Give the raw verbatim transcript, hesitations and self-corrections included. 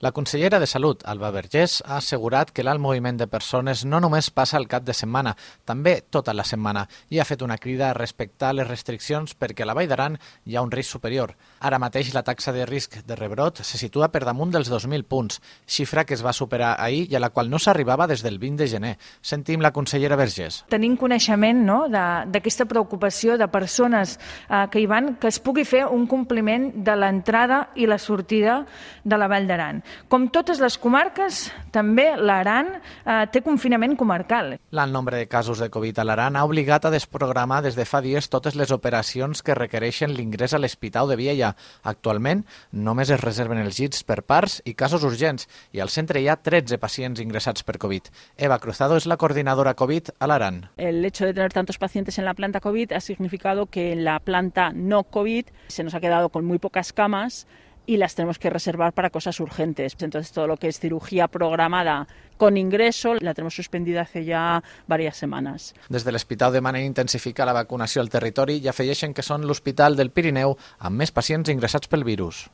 La consellera de Salut, Alba Vergés, ha assegurat que l'alt moviment de persones no només passa al cap de setmana, també tota la setmana, i ha fet una crida a respectar les restriccions perquè a la Vall d'Aran hi ha un risc superior. Ara mateix la taxa de risc de rebrot se situa per damunt dels dos mil punts, xifra que es va superar ahir i a la qual no s'arribava des del vint de gener. Sentim la consellera Vergés. Tenim coneixement no, d'aquesta preocupació de persones eh, que hi van, que es pugui fer un compliment de l'entrada i la sortida de la Vall d'Aran. Com totes les comarques, també l'Aran eh, té confinament comarcal. L'alt nombre de casos de Covid a l'Aran ha obligat a desprogramar des de fa dies totes les operacions que requereixen l'ingrés a l'Hospital de Viella. Actualment, només es reserven els llits per parts i casos urgents i al centre hi ha tretze pacients ingressats per Covid. Eva Cruzado és la coordinadora Covid a l'Aran. El hecho de tener tantos pacientes en la planta Covid ha significado que en la planta no Covid se nos ha quedado con muy pocas camas y las tenemos que reservar para cosas urgentes. Entonces, todo lo que es cirugía programada con ingreso la tenemos suspendida hace ya varias semanas. Des de l'Hospital demanen intensificar la vacunació al territori i afegeixen que són l'Hospital del Pirineu amb més pacients ingressats pel virus.